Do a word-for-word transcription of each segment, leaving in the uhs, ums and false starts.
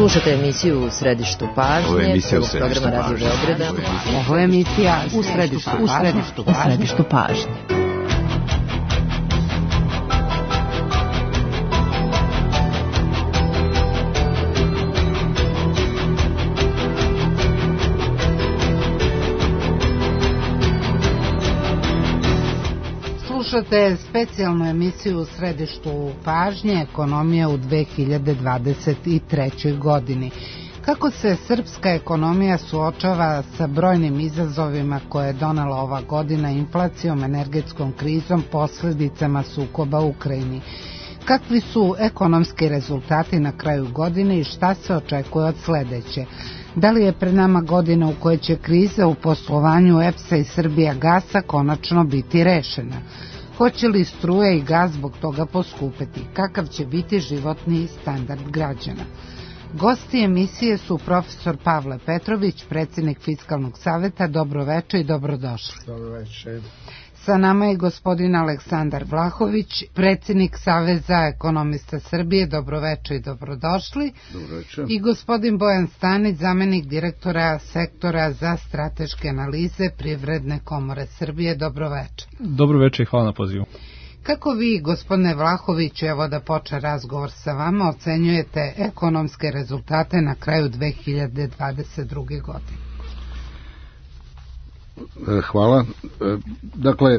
Slušate emisiju U središtu pažnje, prvog programa Radio Beograda. Ovo je emisija U središtu, u središtu, u središtu pažnje. Slušate specijalnu emisiju U središtu pažnje, ekonomija u dve hiljade dvadeset trećoj godini. Kako se srpska ekonomija suočava sa brojnim izazovima koje je donela ova godina inflacijom, energetskom krizom, posljedicama sukoba u Ukrajini? Kakvi su ekonomski rezultati na kraju godine i šta se očekuje od sledeće? Da li je pred nama godina u kojoj će kriza u poslovanju E P S-a i Srbijagasa konačno biti rešena? Hoće li struje i gas zbog toga poskupeti? Kakav će biti životni standard građana? Gosti emisije su profesor Pavle Petrović, predsjednik Fiskalnog saveta. Dobroveče i dobrodošli. Dobroveče. Sa nama je gospodin Aleksandar Vlahović, predsjednik Saveza ekonomista Srbije. Dobroveče i dobrodošli. Dobroveče. I gospodin Bojan Stanić, zamenik direktora sektora za strateške analize Privredne komore Srbije. Dobroveče. Dobroveče i hvala na pozivu. Kako vi, gospodine Vlahović, evo da počne razgovor sa vama, ocenjujete ekonomske rezultate na kraju dve hiljade dvadeset druge. godine? Hvala. Dakle,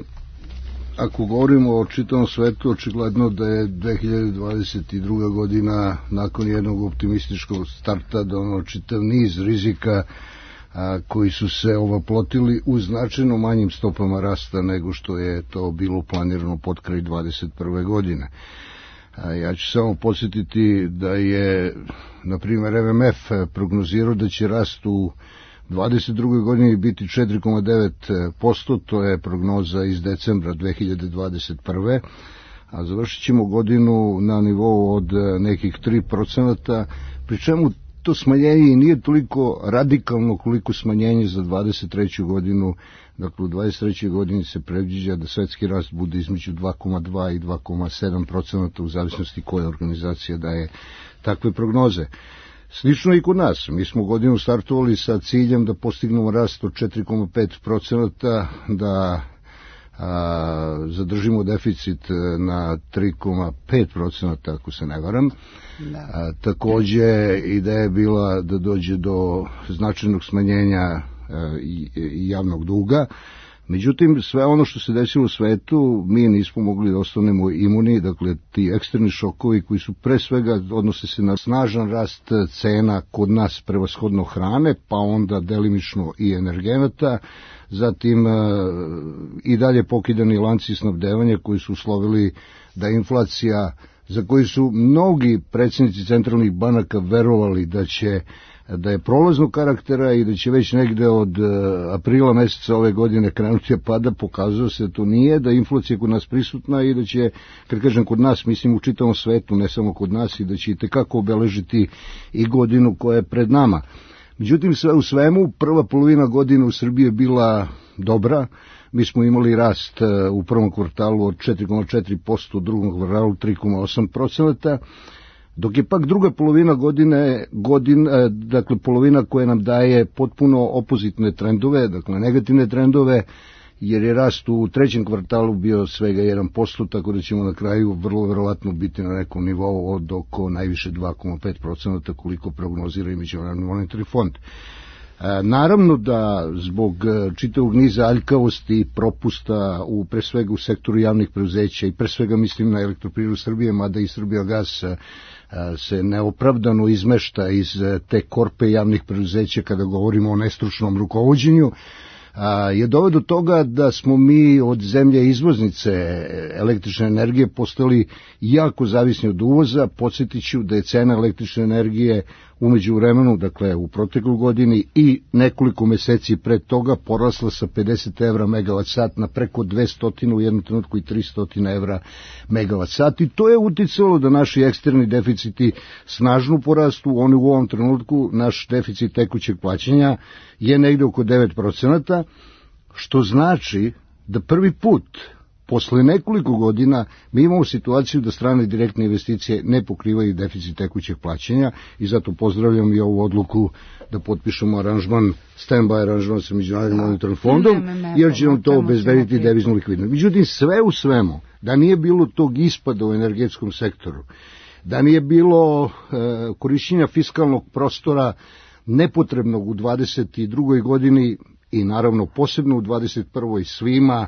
ako govorimo o čitavom svetu, očigledno da je dve hiljade dvadeset druga. godina nakon jednog optimističkog starta donao čitav niz rizika a, koji su se ovoplotili u značajno manjim stopama rasta nego što je to bilo planirano pod kraj dvadeset prve. godine. A, ja ću samo podsjetiti da je, na primjer, M M F prognozirao da će rast u dvadeset drugoj. godini biti četiri zarez devet posto, to je prognoza iz decembra dve hiljade dvadeset prve. a završit ćemo godinu na nivou od nekih tri procenta, pri čemu to smanjenje i nije toliko radikalno koliko smanjenje za dvadeset treću. godinu. Dakle, u dvadeset trećoj. godini se predviđa da svetski rast bude između dva zarez dva i dva zarez sedam procenta u zavisnosti koja organizacija daje takve prognoze. Slično i kod nas. Mi smo godinu startovali sa ciljem da postignemo rast od četiri zarez pet procenta, da a, zadržimo deficit na tri zarez pet procenta, ako se ne varam. Da. A, takođe, ideja je bila da dođe do značajnog smanjenja a, i, i javnog duga. Međutim, sve ono što se desilo u svetu, mi nismo mogli da ostanemo imuni, dakle, ti eksterni šokovi koji su pre svega odnose se na snažan rast cena kod nas prevashodno hrane, pa onda delimično i energenata, zatim i dalje pokidani lanci snabdevanja koji su uslovili da inflacija, za koji su mnogi predsjednici centralnih banaka verovali da će da je prolaznog karaktera i da će već negde od aprila meseca ove godine krenuti pada, pokazuje se da to nije, da je inflacija kod nas prisutna i da će, kad kažem kod nas, mislim u čitavom svetu, ne samo kod nas, i da će i tekako obeležiti i godinu koja je pred nama. Međutim, sve u svemu, prva polovina godine u Srbiji je bila dobra. Mi smo imali rast u prvom kvartalu od četiri zarez četiri posto, u drugom kvartalu tri zarez osam procenta, dok je pak druga polovina godine, godin, dakle polovina koja nam daje potpuno opozitne trendove, dakle negativne trendove, jer je rast u trećem kvartalu bio svega jedan posto, tako da ćemo na kraju vrlo verovatno biti na nekom nivou od oko najviše dva zarez pet procenta koliko prognozira i Međunarodni monetarni fond. Naravno da zbog čitavog niza aljkavosti i propusta u, pre svega u sektoru javnih preduzeća i pre svega mislim na Elektroprivredu Srbije, mada i Srbijagas se neopravdano izmešta iz te korpe javnih preduzeća kada govorimo o nestručnom rukovođenju, je doveo do toga da smo mi od zemlje izvoznice električne energije postali jako zavisni od uvoza. Podsjetit ću da je cena električne energije u međuvremenu, dakle u protekloj godini i nekoliko meseci pred toga, porasla sa pedeset evra megavat sat na preko dvesta u jednom trenutku i tristo evra megavat sat, i to je uticalo da naši eksterni deficiti snažno porastu. Oni u ovom trenutku, naš deficit tekućeg plaćanja je negde oko devet procenata, što znači da prvi put posle nekoliko godina mi imamo situaciju da strane direktne investicije ne pokrivaju deficit tekućeg plaćanja i zato pozdravljam i ovu odluku da potpišemo aranžman, stand-by aranžman sa Međunarodnim monetarnim fondom, jer će nam to obezbediti deviznu likvidnost. Međutim, sve u svemu, da nije bilo tog ispada u energetskom sektoru, da nije bilo e, korišćenja fiskalnog prostora nepotrebnog u dvadeset drugoj godini i naravno posebno u dvadeset prvoj svima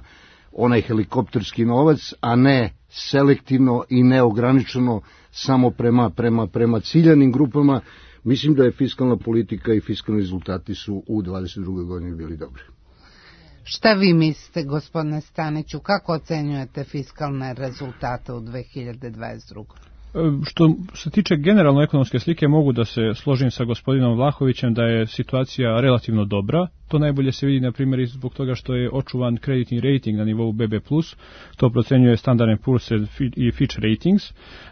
onaj helikopterski novac, a ne selektivno i neograničeno samo prema, prema, prema ciljanim grupama, mislim da je fiskalna politika i fiskalni rezultati su u dvadeset drugoj godini bili dobri. Šta vi mislite, gospodine Staniću, kako ocenjujete fiskalne rezultate u dve hiljade dvadeset drugoj? Što se tiče generalno ekonomske slike, mogu da se složim sa gospodinom Vlahovićem da je situacija relativno dobra. To najbolje se vidi, na primjer, i zbog toga što je očuvan kreditni rating na nivou be be plus, to procenjuje Standard and Poor's i Fitch Ratings.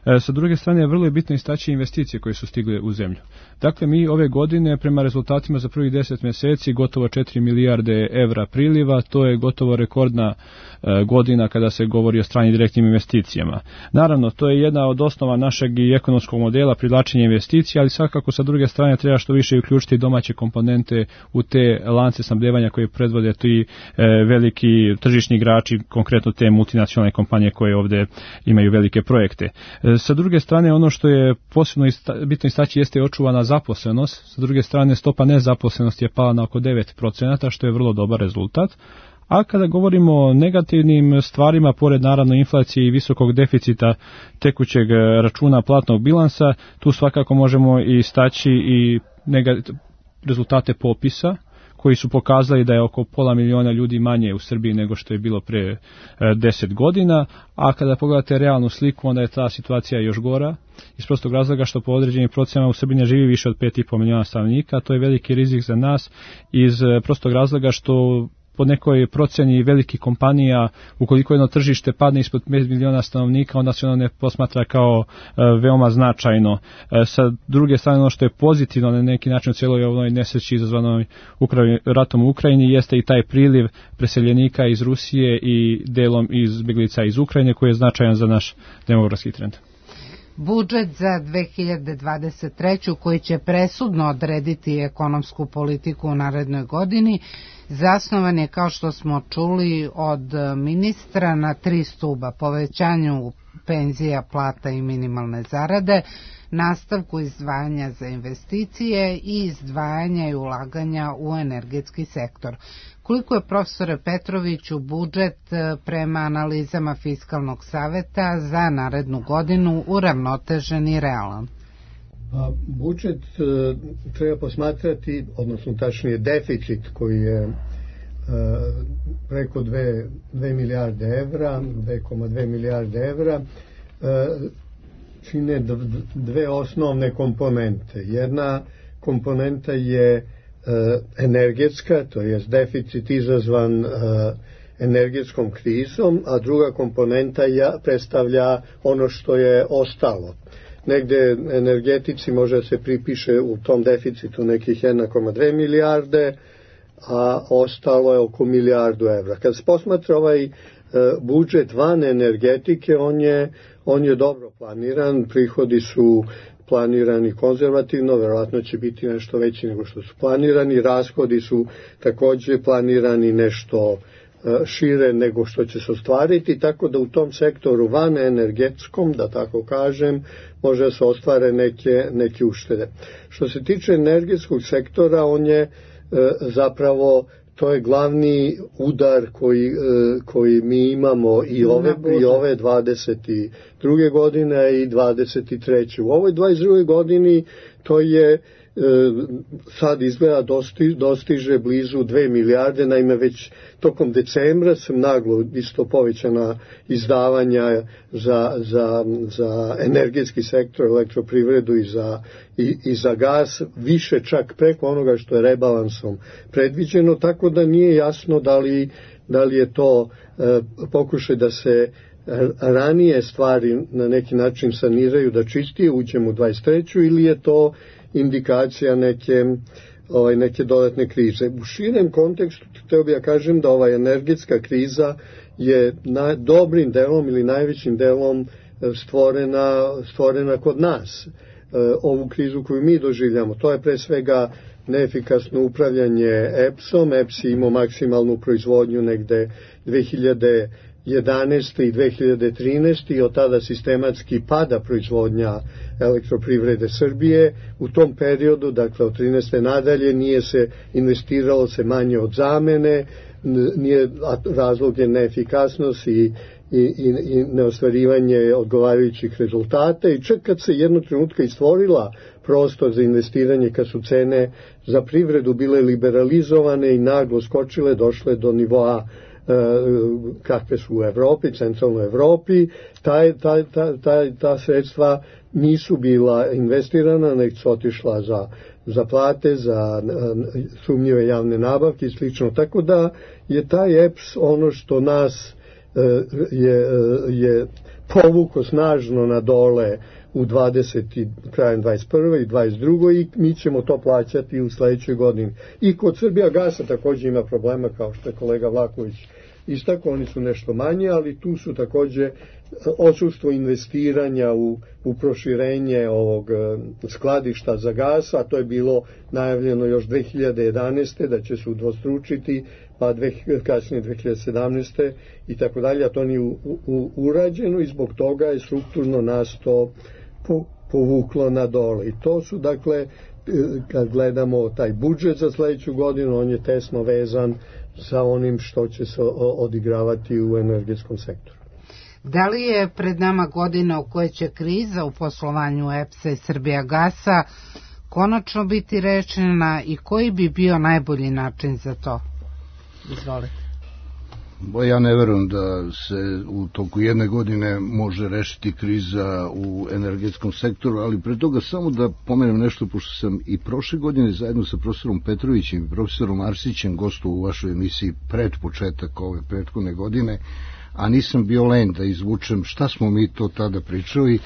E, sa druge strane, vrlo je bitno istaći investicije koje su stigle u zemlju. Dakle, mi ove godine, prema rezultatima za prvih deset mjeseci, gotovo četiri milijarde evra priliva, to je gotovo rekordna e, godina kada se govori o stranim direktnim investicijama. Naravno, to je jedna od osnova našeg i ekonomskog modela privlačenja investicija, ali svakako sa druge strane treba što više uključiti domaće komponente u te lance snabdevanja koje predvode ti e, veliki tržišni igrači, konkretno te multinacionalne kompanije koje ovdje imaju velike projekte. E, sa druge strane, ono što je posebno ista, bitno istaći jeste očuvana zaposlenost. Sa druge strane, stopa nezaposlenosti je pala na oko devet procenata, što je vrlo dobar rezultat. A kada govorimo o negativnim stvarima, pored naravno inflacije i visokog deficita tekućeg računa platnog bilansa, tu svakako možemo istaći i negativ, rezultate popisa, koji su pokazali da je oko pola miliona ljudi manje u Srbiji nego što je bilo pre deset godina, a kada pogledate realnu sliku, onda je ta situacija još gora, iz prostog razloga što po određenim procenama u Srbiji ne živi više od pet i po miliona stanovnika, to je veliki rizik za nas, iz prostog razloga što po nekoj proceni velikih kompanija, ukoliko jedno tržište padne ispod pet miliona stanovnika, onda se ono ne posmatra kao e, veoma značajno. E, sa druge strane, ono što je pozitivno na neki način u cijeloj ovoj nesreći izazvanoj Ukraj, ratom u Ukrajini jeste i taj priliv preseljenika iz Rusije i delom izbjeglica iz Ukrajine, koji je značajan za naš demografski trend. Budžet za dve hiljade dvadeset treću koji će presudno odrediti ekonomsku politiku u narednoj godini zasnovan je, kao što smo čuli od ministra, na tri stuba: povećanju penzija, plata i minimalne zarade, nastavku izdvajanja za investicije i izdvajanja i ulaganja u energetski sektor. Koliko je, profesore Petroviću, budžet prema analizama Fiskalnog saveta za narednu godinu uravnotežen i realan? A budžet e, treba posmatrati, odnosno tačnije deficit koji je e, preko dve milijarde evra, dve zarez dve milijarde evra, e, čine dve osnovne komponente. Jedna komponenta je e, energetska, to je deficit izazvan e, energetskom krizom, a druga komponenta ja, predstavlja ono što je ostalo. Negde energetici može se pripiše u tom deficitu nekih jedna zarez dve milijarde, a ostalo je oko milijardu evra. Kad se posmatra ovaj e, budžet van energetike, on je, on je dobro planiran, prihodi su planirani konzervativno, verovatno će biti nešto veći nego što su planirani, rashodi su također planirani nešto šire nego što će se ostvariti, tako da u tom sektoru van energetskom, da tako kažem, može se ostvare neke, neke uštede. Što se tiče energetskog sektora, on je e, zapravo, to je glavni udar koji, e, koji mi imamo i ove, i ove dvadeset druge godine i dvadeset treće. U ovoj dvadeset drugoj godini to je sad izgleda dosti, dostiže blizu dve milijarde, naime već tokom decembra sam naglo isto povećana izdavanja za, za, za energetski sektor, elektroprivredu i za, i, i za gas, više čak preko onoga što je rebalansom predviđeno, tako da nije jasno da li, da li je to e, pokušaj da se ranije stvari na neki način saniraju, da čistije uđemo u dvadeset treću ili je to indikacija neke, ovaj, neke dodatne krize. U širem kontekstu htio bih ja kažem da ova energetska kriza je na, dobrim delom ili najvećim delom stvorena, stvorena kod nas. Ovu krizu koju mi doživljamo, to je pre svega neefikasno upravljanje E P S-om. E P S je imao maksimalnu proizvodnju negde dve hiljade jedanaeste i dve hiljade trinaeste i od tada sistematski pada proizvodnja Elektroprivrede Srbije. U tom periodu, dakle od trinaeste nadalje, nije se investiralo se manje od zamene, nije, razlog je neefikasnost i I, i, i neostvarivanje odgovarajućih rezultata i čak kad se jednog trenutka istvorila prostor za investiranje, kad su cene za privredu bile liberalizovane i naglo skočile, došle do nivoa e, kakve su u Evropi, centralnoj Evropi, taj, taj, taj, taj, ta sredstva nisu bila investirana, nego su otišla za, za plate, za e, sumnjive javne nabavke i slično. Tako da je taj E P S ono što nas je, je povuko snažno na dole u dvadesetoj krajem dvadeset prve i dvadeset druge i mi ćemo to plaćati u sledećoj godini. I kod Srbijagasa takođe ima problema, kao što je kolega Vlaković istako, oni su nešto manje, ali tu su takođe odsustvo investiranja u, u proširenje ovog skladišta za gas, a to je bilo najavljeno još dve hiljade jedanaeste da će se udvostručiti, pa dve, kasnije dve hiljade sedamnaeste i tako dalje, a to nije u, u, urađeno i zbog toga je strukturno nas to po, povuklo na dole. I to su, dakle, kad gledamo taj budžet za sledeću godinu, on je tesno vezan sa onim što će se odigravati u energetskom sektoru. Da li je pred nama godina u kojoj će kriza u poslovanju E P S-a i Srbijagasa konačno biti rešena i koji bi bio najbolji način za to? Izvolite. Bo ja ne verujem da se u toku jedne godine može rešiti kriza u energetskom sektoru, ali pre toga samo da pomenem nešto, pošto sam i prošle godine zajedno sa profesorom Petrovićem i profesorom Arsićem gostovao u vašoj emisiji pred početak ove prethodne godine, a nisam bio len da izvučem šta smo mi to tada pričali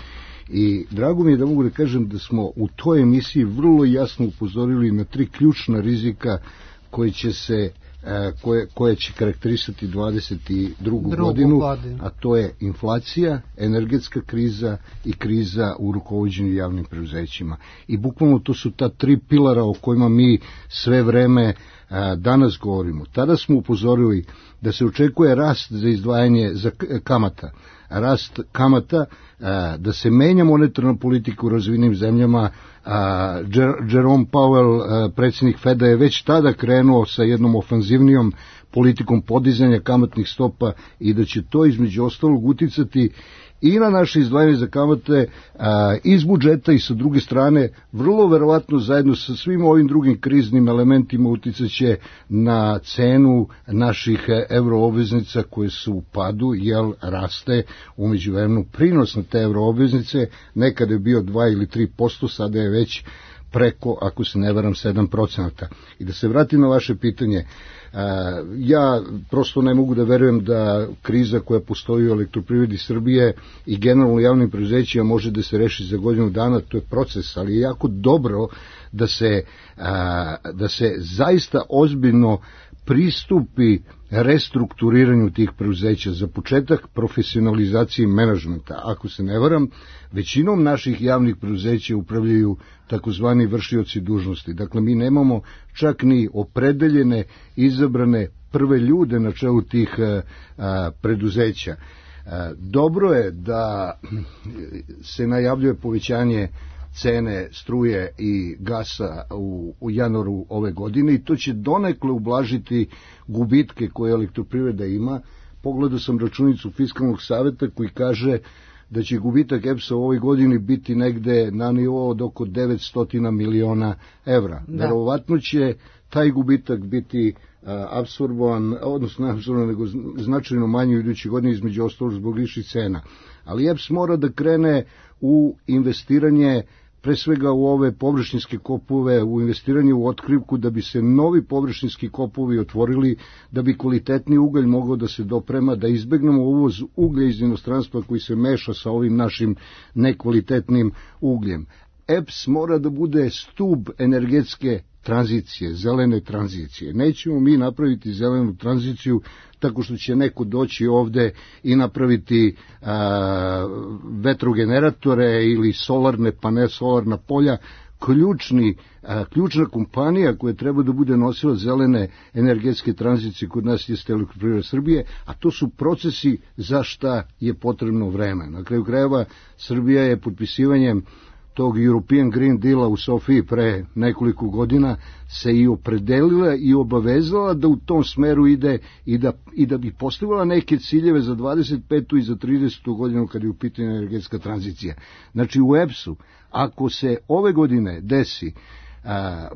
i drago mi je da mogu da kažem da smo u toj emisiji vrlo jasno upozorili na tri ključna rizika koje će se Koje, koje će karakterisati dvadeset drugu godinu, godinu, a to je inflacija, energetska kriza i kriza u rukovođenju javnim preduzećima. I bukvalno to su ta tri pilara o kojima mi sve vreme a, danas govorimo. Tada smo upozorili da se očekuje rast za izdvajanje za kamata, rast kamata, a, da se menja monetarna politika u razvijenim zemljama. A, Jerome Powell, a, predsjednik Feda, je već tada krenuo sa jednom ofanzivnijom politikom podizanja kamatnih stopa i da će to između ostalog uticati i na naše izdvajanje za kamate a, iz budžeta i sa druge strane vrlo verovatno zajedno sa svim ovim drugim kriznim elementima uticaće na cenu naših euroobveznica koje su u padu, jer raste u međuvremenu prinos na te euroobveznice, nekada je bio dva ili tri posto, sada je već preko, ako se ne varam, sedam procenata. I da se vratim na vaše pitanje, ja prosto ne mogu da verujem da kriza koja postoji u Elektroprivredi Srbije i generalno javnim preduzećima može da se reši za godinu dana, to je proces, ali je jako dobro da se, da se zaista ozbiljno pristupi restrukturiranju tih preduzeća, za početak profesionalizaciji menadžmenta. Ako se ne varam, većinom naših javnih preduzeća upravljaju takozvani vršioci dužnosti. Dakle, mi nemamo čak ni opredeljene, izabrane prve ljude na čelu tih a, preduzeća. A, dobro je da se najavljuje povećanje cene struje i gasa u, u januaru ove godine i to će donekle ublažiti gubitke koje Elektroprivreda ima. Pogledao sam računicu Fiskalnog saveta koji kaže da će gubitak E P S-a u ovoj godini biti negde na nivou od oko devetsto miliona evra. Da. Verovatno će taj gubitak biti a, apsorbovan, odnosno ne apsorbovan, nego značajno manji u idućoj godini, između ostalog zbog viših cena. Ali E P S mora da krene u investiranje pre svega u ove površinske kopove, u investiranje u otkrivku, da bi se novi površinski kopovi otvorili, da bi kvalitetni ugalj mogao da se doprema, da izbegnemo uvoz uglja iz inostranstva koji se meša sa ovim našim nekvalitetnim ugljem. E P S mora da bude stub energetske tranzicije, zelene tranzicije. Nećemo mi napraviti zelenu tranziciju tako što će neko doći ovde i napraviti a, vetrogeneratore ili solarne panele, solarna polja. Ključni, a, ključna kompanija koja treba da bude nosila zelene energetske tranzicije kod nas jeste Elektroprivreda Srbije, a to su procesi za šta je potrebno vreme. Na kraju krajeva Srbija je potpisivanjem tog European Green Deala u Sofiji pre nekoliko godina se i opredelila i obavezala da u tom smeru ide i da, i da bi postavila neke ciljeve za dvadeset petu i za tridesetu godinu kad je u pitanju energetska tranzicija. Znači u E P S-u, ako se ove godine desi a,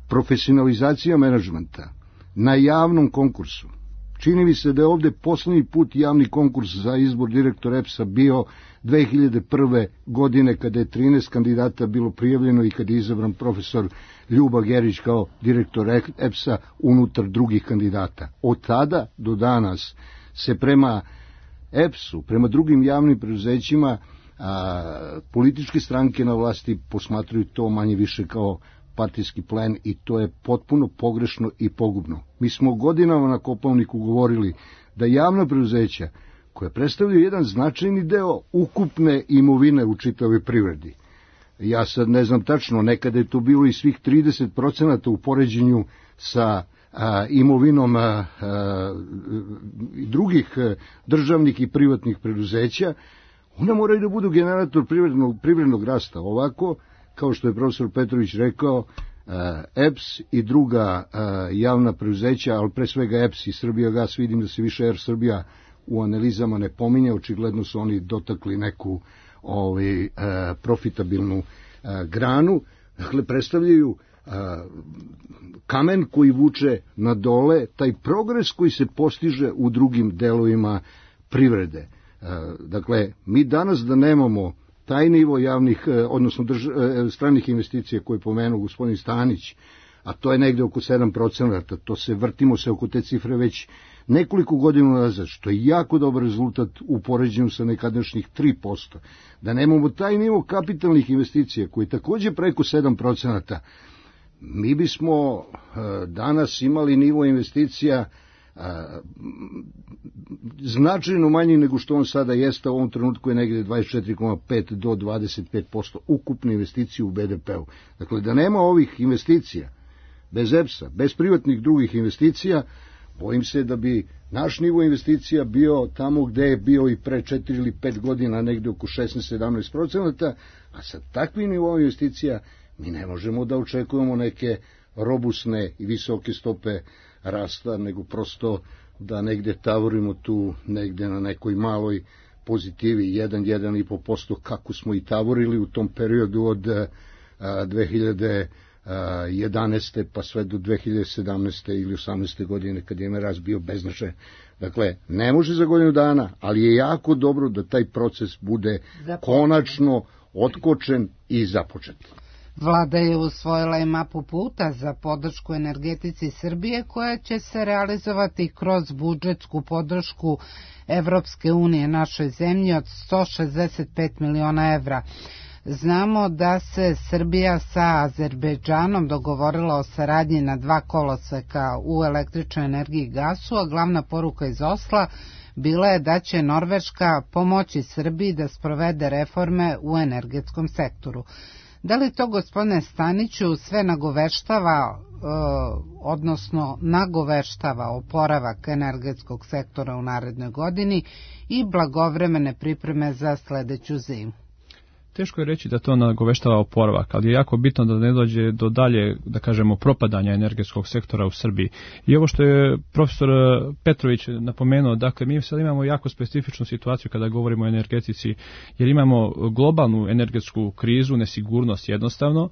profesionalizacija menadžmenta na javnom konkursu, čini mi se da je ovde poslednji put javni konkurs za izbor direktora E P S-a bio dve hiljade prve. godine kada je trinaest kandidata bilo prijavljeno i kada je izabran profesor Ljuba Gerić kao direktor E P S-a unutar drugih kandidata. Od tada do danas se prema E P S-u, prema drugim javnim preduzećima, a, političke stranke na vlasti posmatruju to manje više kao partijski plen i to je potpuno pogrešno i pogubno. Mi smo godinama na Kopaoniku govorili da javna preduzeća koja predstavljaju jedan značajni deo ukupne imovine u čitavoj privredi. Ja sad ne znam tačno, nekada je to bilo i svih trideset procenata u poređenju sa a, imovinom a, a, drugih a, državnih i privatnih preduzeća, ona moraju da budu generator privrednog, privrednog rasta. Ovako, kao što je profesor Petrović rekao, E P S i druga javna preduzeća, ali pre svega E P S i Srbijagas, vidim da se više Er Srbija u analizama ne pominje, očigledno su oni dotakli neku ovaj, profitabilnu granu, dakle predstavljaju kamen koji vuče na dole, taj progres koji se postiže u drugim delovima privrede. Dakle, mi danas da nemamo taj nivo javnih, odnosno drž, stranih investicija koje je pomenuo gospodin Stanić, a to je negde oko sedam procenata, to se vrtimo se oko te cifre već nekoliko godina nazad, što je jako dobar rezultat u poređenju sa nekadašnjih tri posto. Da nemamo taj nivo kapitalnih investicija koji je takođe preko sedam procenata, mi bismo danas imali nivo investicija A, značajno manji nego što on sada jeste, u ovom trenutku je negde dvadeset četiri zarez pet do dvadeset pet posto ukupne investicije u B D P-u. Dakle, da nema ovih investicija, bez E P S-a, bez privatnih drugih investicija, bojim se da bi naš nivo investicija bio tamo gde je bio i pre četiri ili pet godina, negde oko šesnaest do sedamnaest procenata, a sa takvim nivom investicija mi ne možemo da očekujemo neke robusne i visoke stope rasta, nego prosto da negde tavorimo tu, negde na nekoj maloj pozitivi, jedan do jedan i po posto, kako smo i tavorili u tom periodu od a, dve hiljade jedanaeste pa sve do dve hiljade sedamnaeste ili osamnaeste godine, kad je rast bio beznačajan. Dakle, ne može za godinu dana, ali je jako dobro da taj proces bude konačno otkočen i započet. Vlada je usvojila i mapu puta za podršku energetici Srbije koja će se realizovati kroz budžetsku podršku Evropske unije našoj zemlji od sto šezdeset pet miliona evra. Znamo da se Srbija sa Azerbejdžanom dogovorila o saradnji na dva koloseka u električnoj energiji i gasu, a glavna poruka iz Osla bila je da će Norveška pomoći Srbiji da sprovede reforme u energetskom sektoru. Da li to, gospodine Staniću, sve nagoveštava, odnosno nagoveštava oporavak energetskog sektora u narednoj godini i blagovremene pripreme za sledeću zimu? Teško je reći da to nagoveštava oporavak, ali je jako bitno da ne dođe do dalje, da kažemo, propadanja energetskog sektora u Srbiji. I ovo što je profesor Petrović napomenuo, dakle, mi sad imamo jako specifičnu situaciju kada govorimo o energetici, jer imamo globalnu energetsku krizu, nesigurnost jednostavno,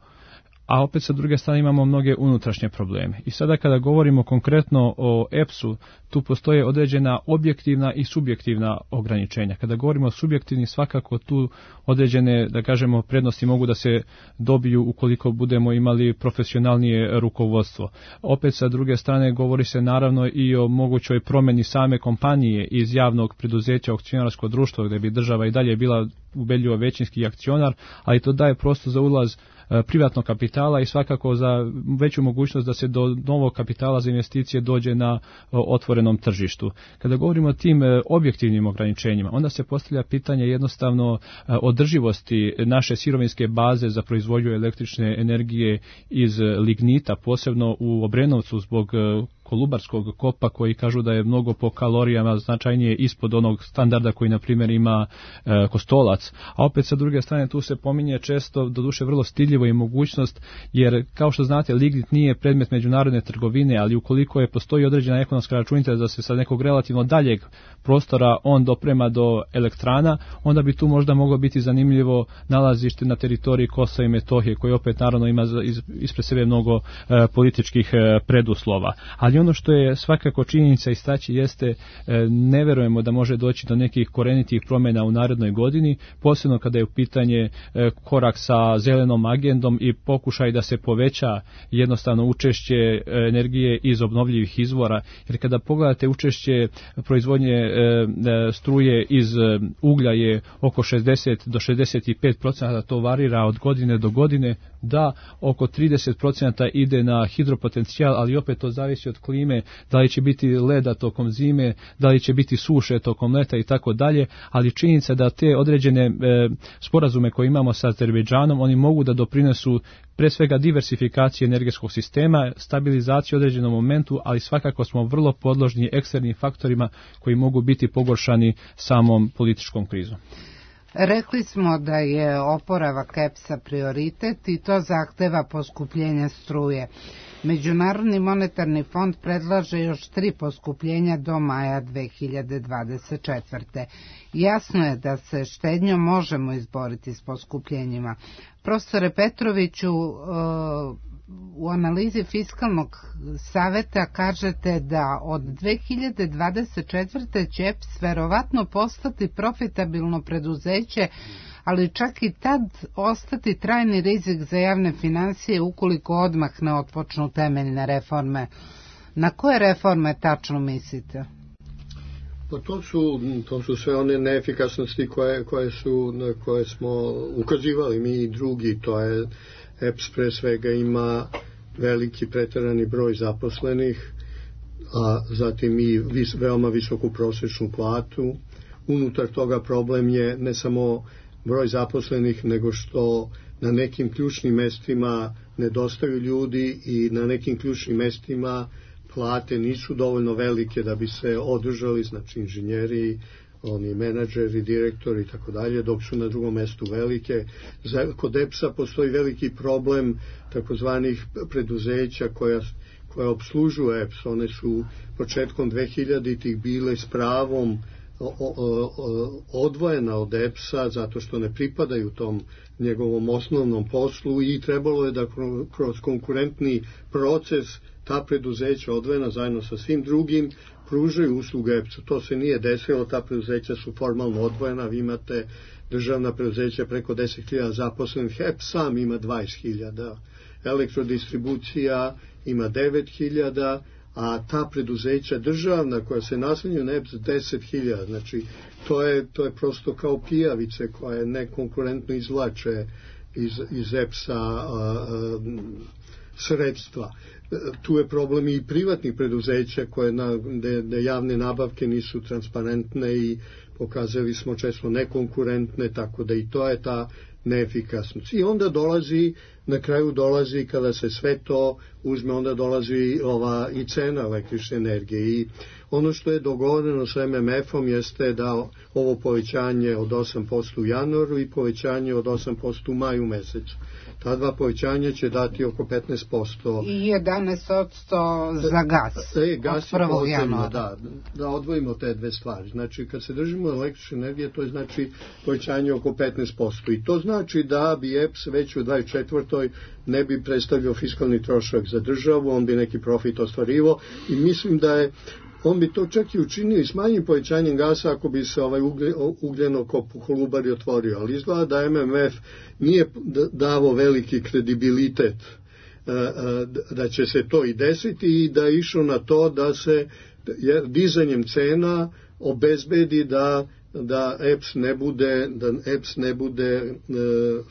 a opet sa druge strane imamo mnoge unutrašnje probleme. I sada kada govorimo konkretno o E P S-u, tu postoje određena objektivna i subjektivna ograničenja. Kada govorimo o subjektivni, svakako tu određene, da kažemo, prednosti mogu da se dobiju ukoliko budemo imali profesionalnije rukovodstvo. Opet sa druge strane govori se naravno i o mogućoj promeni same kompanije iz javnog preduzeća u akcionarsko društvo, gde bi država i dalje bila ubedljivo većinski akcionar, ali to daje prostor za ulaz privatnog kapitala i svakako za veću mogućnost da se do novog kapitala za investicije dođe na otvorenom tržištu. Kada govorimo o tim objektivnim ograničenjima, onda se postavlja pitanje jednostavno održivosti naše sirovinske baze za proizvodnju električne energije iz lignita, posebno u Obrenovcu zbog Kolubarskog kopa koji kažu da je mnogo po kalorijama značajnije ispod onog standarda koji na primjer ima e, Kostolac. A opet sa druge strane tu se pominje često, doduše vrlo stidljivo i mogućnost, jer kao što znate lignit nije predmet međunarodne trgovine, ali ukoliko je postoji određena ekonomska računica da se sa nekog relativno daljeg prostora on doprema do elektrana, onda bi tu možda moglo biti zanimljivo nalazište na teritoriji Kosova i Metohije koji opet naravno ima ispred sebe mnogo e, političkih e, preduslova. Ali ono što je svakako činjenica istaći jeste ne verujemo da može doći do nekih korenitih promjena u narednoj godini, posebno kada je u pitanje korak sa zelenom agendom i pokušaj da se poveća jednostavno učešće energije iz obnovljivih izvora, jer kada pogledate učešće proizvodnje struje iz uglja je oko šezdeset do šezdeset pet posto, to varira od godine do godine, da oko trideset posto ide na hidropotencijal, ali opet to zavisi od klime, da li će biti leda tokom zime, da li će biti suše tokom leta i tako dalje, ali činjenica da te određene e, sporazume koje imamo sa Azerbejdžanom, oni mogu da doprinesu pre svega diversifikaciji energetskog sistema, stabilizaciji u određenom momentu, ali svakako smo vrlo podložni eksternim faktorima koji mogu biti pogoršani samom političkom krizom. Rekli smo da je oporavak E P S-a prioritet i to zahteva poskupljenje struje. Međunarodni monetarni fond predlaže još tri poskupljenja do maja dve hiljade dvadeset četvrte. Jasno je da se štednjom možemo izboriti s poskupljenjima. Profesore Petroviću, u analizi Fiskalnog saveta kažete da od dve hiljade dvadeset četvrte će E P S verovatno postati profitabilno preduzeće, ali čak i tad ostati trajni rizik za javne financije ukoliko odmah ne otpočnu temeljne reforme. Na koje reforme tačno mislite? Pa to su, to su sve one neefikasnosti koje, koje, su, na koje smo ukazivali mi i drugi. To je E P S pre svega ima veliki preterani broj zaposlenih, a zatim i vis, veoma visoku prosječnu platu. Unutar toga problem je ne samo broj zaposlenih, nego što na nekim ključnim mestima nedostaju ljudi i na nekim ključnim mestima plate nisu dovoljno velike da bi se održali, znači inženjeri, oni menadžeri, direktori i tako dalje, dok su na drugom mestu velike. Za, kod E P S-a postoji veliki problem takozvanih preduzeća koja, koja obslužuju E P S. One su početkom dvehiljaditih bile s pravom o, o, o, odvojena od E P S-a zato što ne pripadaju tom njegovom osnovnom poslu i trebalo je da kroz konkurentni proces ta preduzeća odvojena zajedno sa svim drugim pružaju usluge E P S-u. To se nije desilo, ta preduzeća su formalno odvojena, vi imate državna preduzeća preko deset hiljada zaposlenih, E P S sam ima dvadeset hiljada, elektrodistribucija ima devet hiljada, a ta preduzeća državna koja se naslanjaju na E P S deset hiljada, znači to je, to je prosto kao pijavice koje nekonkurentno izvlače iz, iz E P S-a a, a, sredstva. Tu je problem i privatnih preduzeća koje na, de, de javne nabavke nisu transparentne i pokazali smo često nekonkurentne, tako da i to je ta neefikasnost. I onda dolazi, na kraju dolazi, kada se sve to uzme, onda dolazi ova i cena električne energije. I ono što je dogovoreno sa M M F-om jeste da ovo povećanje od osam posto u januaru i povećanje od osam posto u maju mesecu. Ta dva povećanja će dati oko petnaest posto. I jedanaest posto za gas. E, gas je potrebno, da, da odvojimo te dve stvari. Znači, kad se držimo električne energije, to je znači povećanje oko petnaest posto. I to znači da bi E P S već u dvadeset četvrtoj ne bi predstavljao fiskalni trošak za državu, on bi neki profit ostvarivo i mislim da je on bi to čak i učinio i s manjim povećanjem gasa ako bi se ovaj ugljenokop u Kolubari otvorio, ali izgleda da M M F nije davo veliki kredibilitet da će se to i desiti i da je išao na to da se dizanjem cena obezbedi da da E P S ne bude, da E P S ne bude e,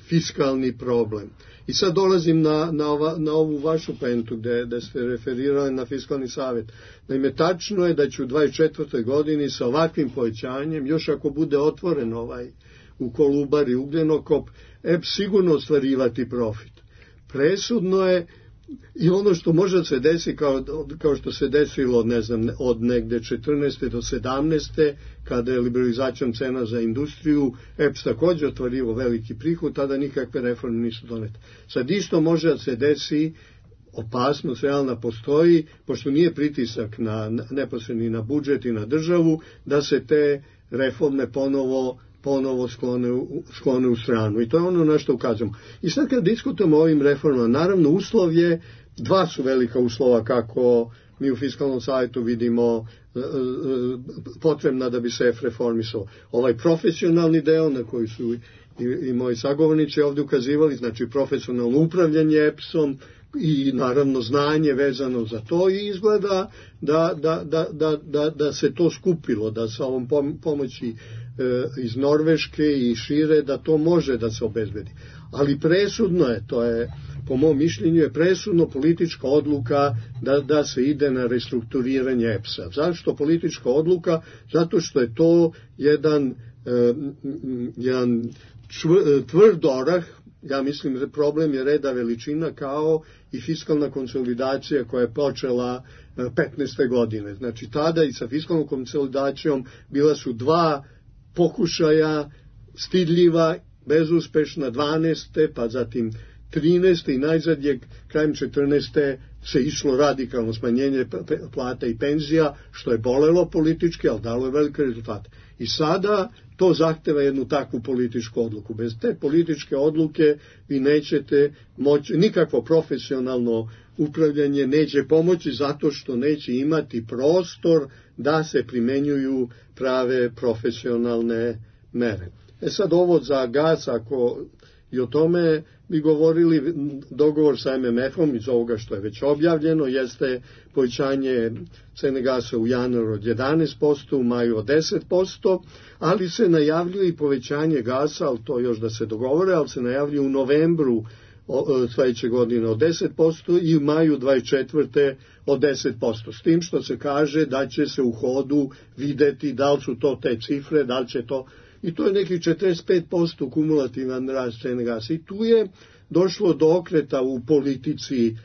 fiskalni problem. I sad dolazim na, na, ova, na ovu vašu pentu gde, gde ste referirali na fiskalni savjet. Naime, tačno je da će u dvadeset četvrtoj godini sa ovakvim povećanjem, još ako bude otvoren ovaj u Kolubari ugljenokop, E P S sigurno ostvarivati profit. Presudno je i ono što može se desi kao, kao što se desilo, ne znam, od negde četrnaeste do sedamnaeste kada je liberalizacijom cena za industriju, E P S također otvario veliki prihod, tada nikakve reforme nisu donete. Sad isto može da se desi, opasnost realna postoji, pošto nije pritisak na, neposredni na budžet i na državu, da se te reforme ponovo ponovo sklone u, sklone u stranu. I to je ono na što ukazujemo. I sad kad diskutujemo o ovim reformama, naravno uslov je, dva su velika uslova kako mi u Fiskalnom savjetu vidimo e, e, potrebna da bi se E F reformisao. Ovaj profesionalni deo na koji su i, i moji sagovornici ovdje ukazivali, znači profesionalno upravljanje E P S-om i naravno znanje vezano za to i izgleda da, da, da, da, da, da se to skupilo, da sa ovom pomoći iz Norveške i šire, da to može da se obezbedi. Ali presudno je, to je, po mom mišljenju, je presudno politička odluka da, da se ide na restrukturiranje E P S-a. Zašto politička odluka? Zato što je to jedan, jedan tvrd orah, ja mislim da problem je reda veličina kao i fiskalna konsolidacija koja je počela petnaeste godine. Znači tada i sa fiskalnom konsolidacijom bila su dva pokušaja stidljiva, bezuspešna, dvanaeste pa zatim trinaeste i najzadnjeg krajem četrnaeste se išlo radikalno smanjenje plata i penzija, što je bolelo politički, ali dalo je velike rezultate. I sada to zahteva jednu takvu političku odluku. Bez te političke odluke vi nećete moći, nikakvo profesionalno upravljanje neće pomoći zato što neće imati prostor da se primenjuju prave profesionalne mere. E sad ovo za gas, ako i o tome bi govorili, dogovor sa M M F-om iz ovoga što je već objavljeno jeste povećanje cene gasa u januaru od jedanaest posto, u maju od deset posto, ali se najavljuje i povećanje gasa, ali to još da se dogovore, ali se najavljuje u novembru sljedeće godine od deset posto i u maju dvadeset četvrte od deset posto. S tim što se kaže da će se u hodu videti da li su to te cifre, da li će to... I to je nekih četrdeset pet posto kumulativan rast cene gasa. I tu je došlo do okreta u politici,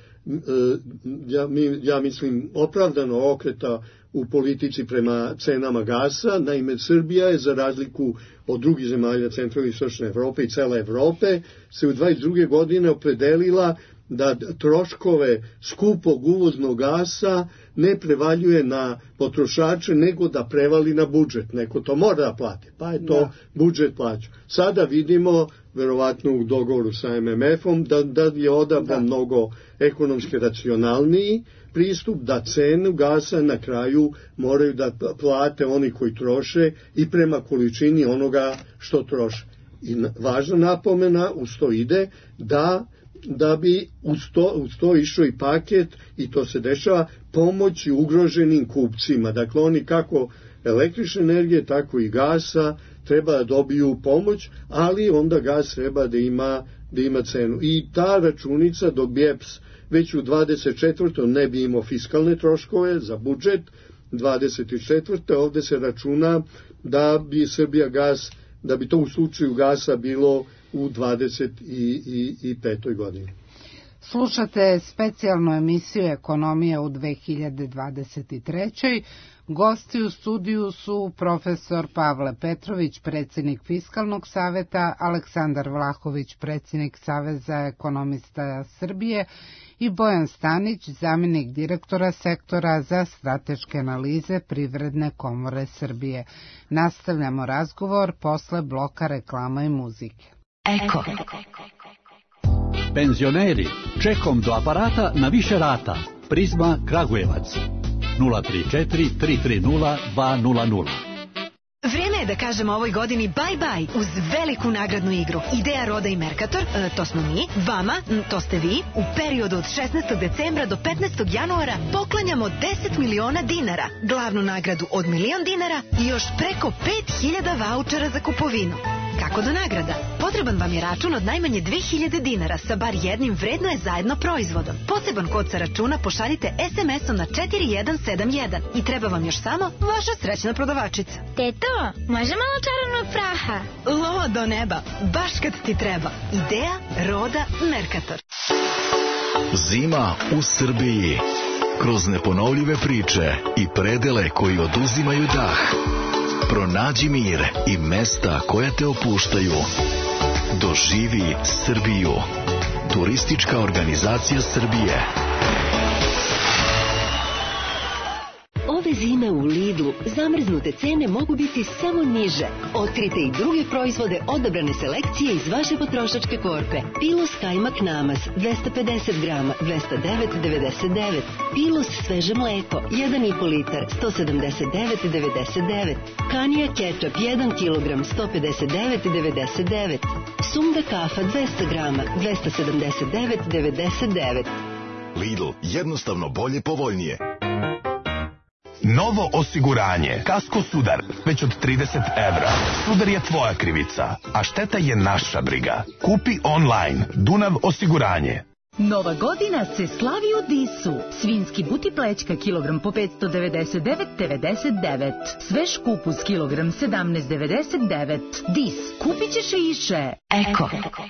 ja, ja mislim opravdano okreta u politici prema cenama gasa. Naime, Srbija je za razliku od drugih zemalja centralne i istočne Evrope i cele Evrope se u dvadeset druge godine opredelila da troškove skupog uvoznog gasa ne prevaljuje na potrošače, nego da prevali na budžet. Neko to mora da plati, pa je to da. Budžet plaća. Sada vidimo, verovatno u dogovoru sa M M F-om, da, da je odabran mnogo ekonomski racionalniji pristup, da cenu gasa na kraju moraju da plate oni koji troše i prema količini onoga što troše. I važna napomena uz to ide da da bi uz to, uz to išao i paket, i to se dešava, pomoći ugroženim kupcima. Dakle, oni kako električne energije, tako i gasa treba da dobiju pomoć, ali onda gas treba da ima, da ima cenu. I ta računica dok bi E P S već u dvadeset četvrtoj ne bi imao fiskalne troškove za budžet, dvadeset četvrte ovdje se računa da bi Srbija gas, da bi to u slučaju gasa bilo u dvadeset petoj godini. Slušate specijalnu emisiju Ekonomija u dve hiljade dvadeset trećoj. Gosti u studiju su profesor Pavle Petrović, predsjednik Fiskalnog saveta, Aleksandar Vlahović, predsjednik Saveza ekonomista Srbije i Bojan Stanić, zamjenik direktora sektora za strateške analize Privredne komore Srbije. Nastavljamo razgovor posle bloka reklama i muzike. Eko. Penzioneri, čekom do aparata na više rata. Prizma Kragujevac. nula tri četiri tri tri nula dva nula nula. Vrijeme je da kažemo ovoj godini bye bye uz veliku nagradnu igru. Ideja Roda i Mercator, e, to smo mi, vama, m, to ste vi, u periodu od šesnaestog decembra do petnaestog januara poklanjamo deset miliona dinara, glavnu nagradu od milion dinara i još preko pet hiljada vaučera za kupovinu. Kako do nagrada? Potreban vam je račun od najmanje dve hiljade dinara sa bar jednim vredno je zajedno proizvodom. Poseban kod sa računa pošaljite es em esom na četiri jedan sedam jedan i treba vam još samo vaša srećna prodavačica. Teto, može malo čarobnog praha? Lo do neba, baš kad ti treba. Ideja Roda Mercator. Zima u Srbiji. Kroz neponovljive priče i predele koji oduzimaju dah. Pronađi mir i mesta koja te opuštaju. Doživi Srbiju. Turistička organizacija Srbije. Ove zime u Lidlu zamrznute cene mogu biti samo niže. Otkrite i druge proizvode odabrane selekcije iz vaše potrošačke korpe. Pilus kajmak namaz dvesta pedeset grama dvesta devet devedeset devet. Pilus sveže mleko jedan i po litar sto sedamdeset devet devedeset devet. Kanija kečap jedan kilogram sto pedeset devet devedeset devet. Sumda kafa dvesta grama dvesta sedamdeset devet devedeset devet. Lidl, jednostavno bolje, povoljnije. Novo osiguranje. Kasko Sudar. Već od trideset evra. Sudar je tvoja krivica, a šteta je naša briga. Kupi online. Dunav osiguranje. Nova godina se slavi u Disu. Svinski buti plećka kilogram po petsto devedeset devet devedeset devet. Svež kupus kilogram sedamnaest devedeset devet. Dis. Kupit ćeš više. Eko. Per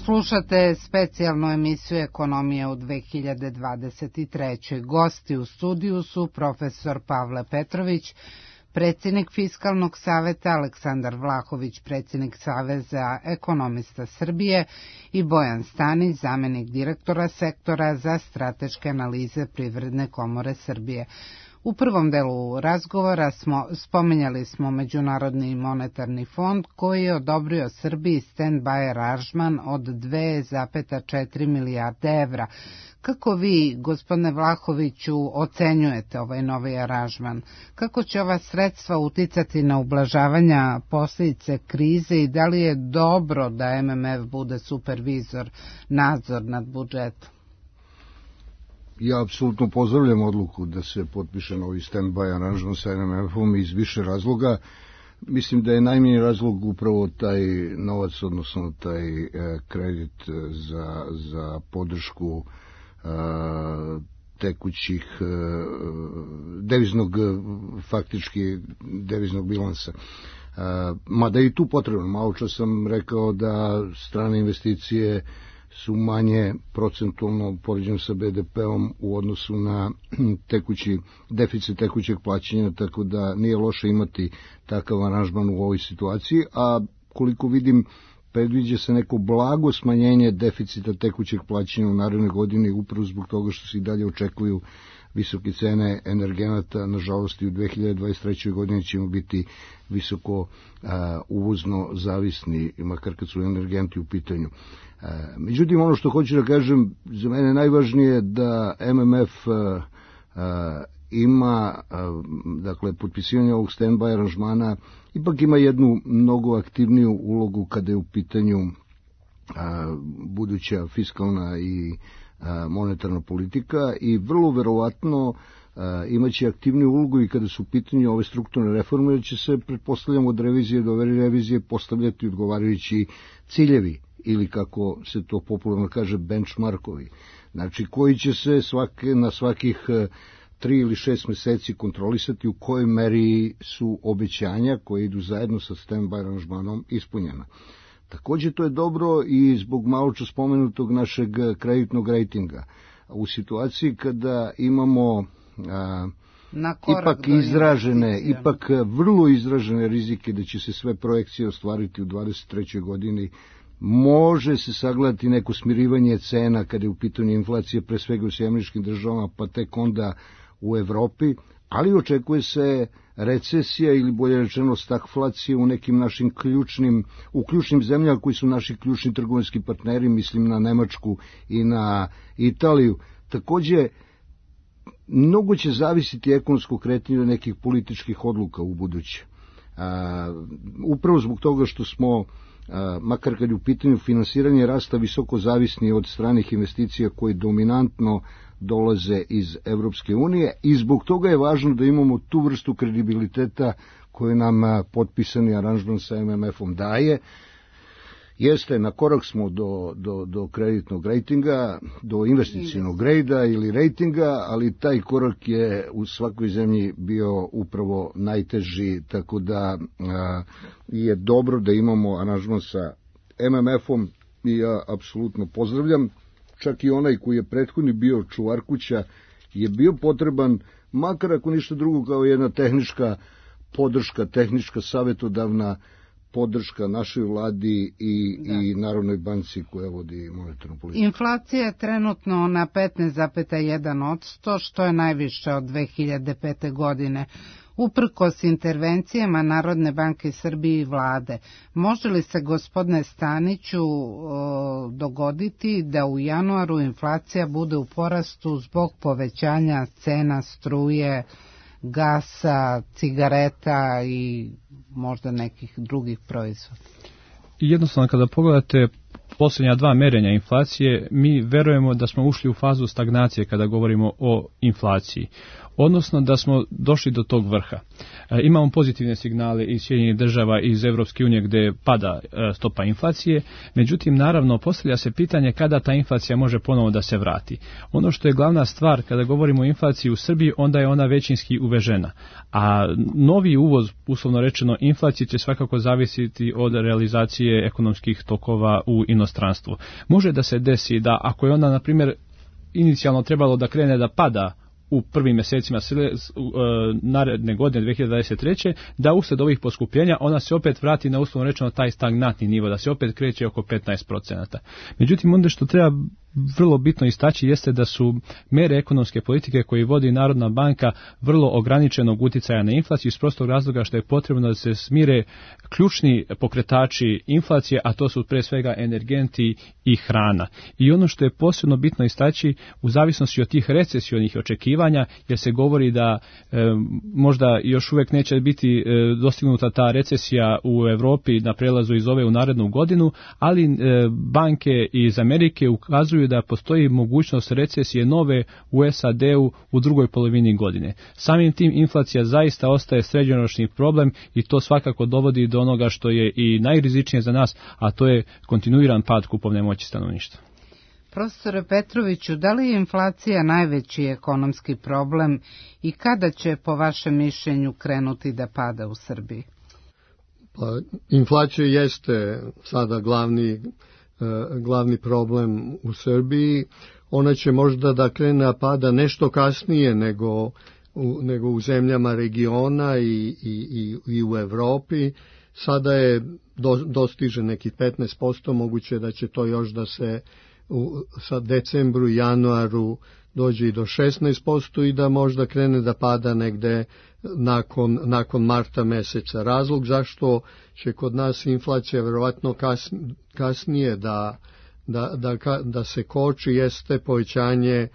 Slušate specijalnu emisiju Ekonomije u dve hiljade dvadeset trećoj. Gosti u studiju su profesor Pavle Petrović, predsjednik Fiskalnog saveta, Aleksandar Vlahović, predsjednik Saveza ekonomista Srbije i Bojan Stanić, zamenik direktora sektora za strateške analize Privredne komore Srbije. U prvom delu razgovora smo, spomenjali smo Međunarodni monetarni fond koji je odobrio Srbiji stand-by aranžman od dve zarez četiri milijarde evra. Kako vi, gospodine Vlahoviću, ocenjujete ovaj novi aranžman? Kako će ova sredstva uticati na ublažavanja posljedice krize i da li je dobro da M M F bude supervizor, nadzor nad budžetom? Ja apsolutno pozdravljam odluku da se potpiše novi stand-by aranžman sa M M F-om iz više razloga. Mislim da je najmanji razlog upravo taj novac, odnosno taj e, kredit za, za podršku e, tekućih e, deviznog, faktički deviznog bilansa. E, mada i tu potrebno. Malo čas sam rekao da strane investicije su manje procentualno poređeno sa B D P-om u odnosu na tekući, deficit tekućeg plaćanja, tako da nije loše imati takav aranžman u ovoj situaciji, a koliko vidim predviđa se neko blago smanjenje deficita tekućeg plaćanja u narednoj godini upravo zbog toga što se i dalje očekuju visoke cene energenata. Nažalost i u dve hiljade dvadeset trećoj godini ćemo biti visoko a, uvozno zavisni, makar kad su energenti u pitanju. Međutim, ono što hoću da kažem, za mene najvažnije da M M F a, a, ima, a, dakle, potpisivanje ovog stand-by aranžmana, ipak ima jednu mnogo aktivniju ulogu kada je u pitanju a, buduća fiskalna i a, monetarna politika i vrlo verovatno a, imaće aktivniju ulogu i kada su u pitanju ove strukturne reforme, jer će se, pretpostavljamo, od revizije do revizije postavljati odgovarajući ciljevi, ili kako se to popularno kaže benchmarkovi, znači koji će se svake, na svakih tri ili šest meseci kontrolisati u kojoj meri su obećanja koje idu zajedno sa stand-by aranžmanom ispunjena. Također to je dobro i zbog malo čas spomenutog našeg kreditnog rejtinga. U situaciji kada imamo a, ipak izražene, ipak vrlo izražene rizike da će se sve projekcije ostvariti u dvadeset trećoj godini, može se sagledati neko smirivanje cena kada je u pitanju inflacije, pre svega u Sjedinjenim Američkim Državama, pa tek onda u Evropi, ali očekuje se recesija ili bolje rečeno stagflacija u nekim našim ključnim, u ključnim zemljama koji su naši ključni trgovinski partneri, mislim na Nemačku i na Italiju. Takođe, mnogo će zavisiti ekonomsko kretanje nekih političkih odluka u buduće. A, upravo zbog toga što smo A, makar kad je u pitanju finansiranje rasta visoko zavisni od stranih investicija koje dominantno dolaze iz Evropske unije i zbog toga je važno da imamo tu vrstu kredibiliteta koju nam a, potpisani aranžman sa M M F-om daje. Jeste, na korak smo do, do, do kreditnog rejtinga, do investicionog grejda ili rejtinga, ali taj korak je u svakoj zemlji bio upravo najteži, tako da a, je dobro da imamo aranžman sa M M F-om i ja apsolutno pozdravljam. Čak i onaj koji je prethodni bio čuvar kuća je bio potreban, makar ako ništa drugo kao jedna tehnička podrška, tehnička savjetodavna podrška našoj vladi i, i Narodnoj banci koja vodi monetarnu politiku. Inflacija je trenutno na petnaest zarez jedan posto, što je najviše od dve hiljade pete. godine. Uprkos intervencijama Narodne banke Srbije i vlade, može li se, gospodine Staniću, o, dogoditi da u januaru inflacija bude u porastu zbog povećanja cena struje, gasa, cigareta i možda nekih drugih proizvoda? Jednostavno, kada pogledate posljednja dva merenja inflacije, mi verujemo da smo ušli u fazu stagnacije kada govorimo o inflaciji, odnosno da smo došli do tog vrha. E, imamo pozitivne signale iz Sjedinjenih Država i iz Evropske unije gde pada e, stopa inflacije, međutim, naravno, postavlja se pitanje kada ta inflacija može ponovo da se vrati. Ono što je glavna stvar kada govorimo o inflaciji u Srbiji, onda je ona većinski uvežena, a novi uvoz, uslovno rečeno, inflacije će svakako zavisiti od realizacije ekonomskih tokova u u inostranstvu. Može da se desi da ako je ona, na primjer, inicijalno trebalo da krene da pada u prvim mjesecima naredne godine dve hiljade dvadeset treće da usled ovih poskupljenja ona se opet vrati na uslovno rečeno taj stagnantni nivo, da se opet kreće oko petnaest procenata. Međutim, onda što treba vrlo bitno istaći jeste da su mere ekonomske politike koje vodi Narodna banka vrlo ograničenog utjecaja na inflaciju iz prostog razloga što je potrebno da se smire ključni pokretači inflacije, a to su pre svega energenti i hrana. I ono što je posebno bitno istaći u zavisnosti od tih recesionih očekivanja, jer se govori da e, možda još uvijek neće biti e, dostignuta ta recesija u Europi na prelazu iz ove u narednu godinu, ali e, banke iz Amerike ukazuju da postoji mogućnost recesije nove u S A D-u u drugoj polovini godine. Samim tim inflacija zaista ostaje srednjoročni problem i to svakako dovodi do onoga što je i najrizičnije za nas, a to je kontinuiran pad kupovne moći stanovništva. Profesore Petroviću, da li je inflacija najveći ekonomski problem i kada će po vašem mišljenju krenuti da pada u Srbiji? Pa, inflacija jeste sada glavni glavni problem u Srbiji. Ona će možda da krene pada nešto kasnije nego u, nego u zemljama regiona i, i, i, i u Evropi. Sada je do, dostiže nekih petnaest posto, moguće da će to još da se u sa decembru i januaru dođe i do šesnaest posto i da možda krene da pada negde nakon, nakon marta meseca. Razlog zašto će kod nas inflacija verovatno kas, kasnije da, da, da, da se koči jeste povećanje e,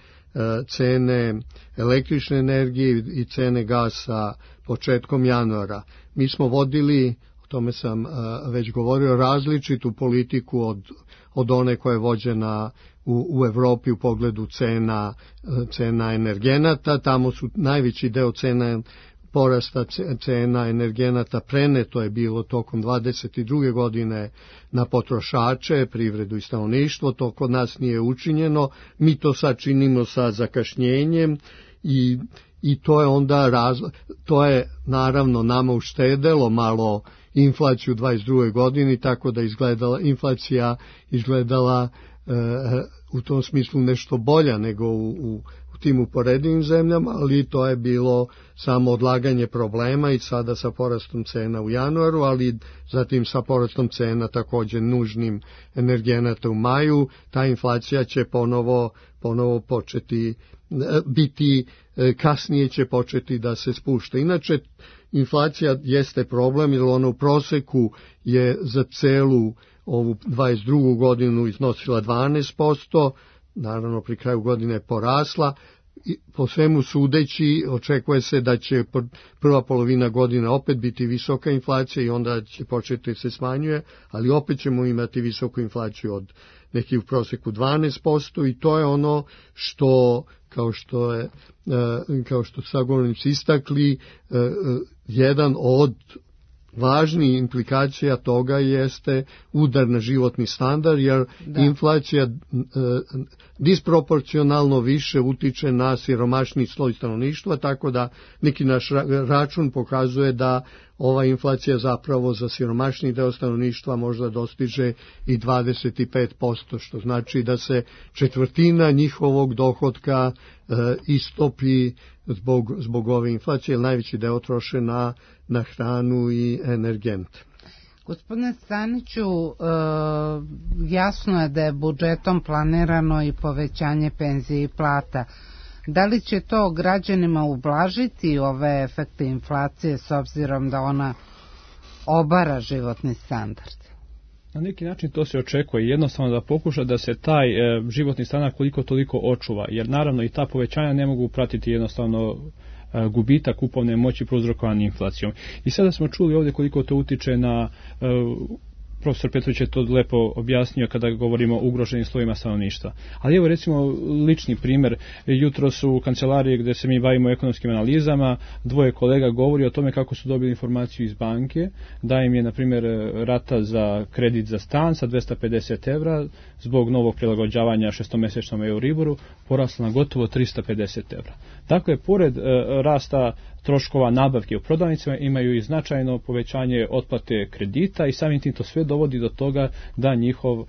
cene električne energije i cene gasa početkom januara. Mi smo vodili, o tome sam e, već govorio, različitu politiku od, od one koja je vođena u, u Evropi u pogledu cena, cena energenata. Tamo su najveći deo cena porasta cena energenata preneto je bilo tokom dvadeset druge godine na potrošače, privredu i stanovništvo. To kod nas nije učinjeno. Mi to sad činimo sa zakašnjenjem i, i to je onda razlog. To je naravno nama uštedelo malo inflaciju u dvadeset drugoj godini, tako da izgledala inflacija izgledala e, u tom smislu nešto bolja nego u, u u tim uporedivim zemljama, ali to je bilo samo odlaganje problema i sada sa porastom cena u januaru, ali zatim sa porastom cena također nužnim energenata u maju, ta inflacija će ponovo, ponovo početi biti, kasnije će početi da se spušta. Inače, inflacija jeste problem jer ona u proseku je za celu ovu dvadeset drugu godinu iznosila dvanaest posto, naravno pri kraju godine porasla. Po svemu sudeći očekuje se da će prva polovina godine opet biti visoka inflacija i onda će početi se smanjuje, ali opet ćemo imati visoku inflaciju od nekih u proseku dvanaest posto i to je ono što, kao što je, kao što sagovornici istakli, jedan od važnijih implikacija toga jeste udar na životni standard, jer da. inflacija e, disproporcionalno više utiče na siromašni sloj stanovništva, tako da neki naš račun pokazuje da ova inflacija zapravo za siromašni deo stanovništva možda dostiže i dvadeset pet posto, što znači da se četvrtina njihovog dohotka e, istopi zbog, zbog ove inflacije, jer najveći deo troše na, na hranu i energente. Gospodine Staniću, e, jasno je da je budžetom planirano i povećanje penzije i plata. Da li će to građanima ublažiti ove efekte inflacije s obzirom da ona obara životni standard? Na neki način to se očekuje, jednostavno da pokuša da se taj e, životni standard koliko toliko očuva, jer naravno i ta povećanja ne mogu pratiti jednostavno e, gubitak kupovne moći prouzrokovan inflacijom. I sada smo čuli ovdje koliko to utiče na e, profesor Petrović je to lepo objasnio kada govorimo o ugroženim slojima stanovništva. Ali evo recimo lični primjer, jutro su u kancelariji gdje se mi bavimo ekonomskim analizama, dvoje kolega govori o tome kako su dobili informaciju iz banke, da im je na primjer rata za kredit za stan sa dvesta pedeset evra zbog novog prilagođavanja šestomjesečnom Euriboru porasla na gotovo trista pedeset evra. Dakle, pored e, rasta troškova nabavke u prodavnicama, imaju i značajno povećanje otplate kredita i samim tim to sve dovodi do toga da njihov uh,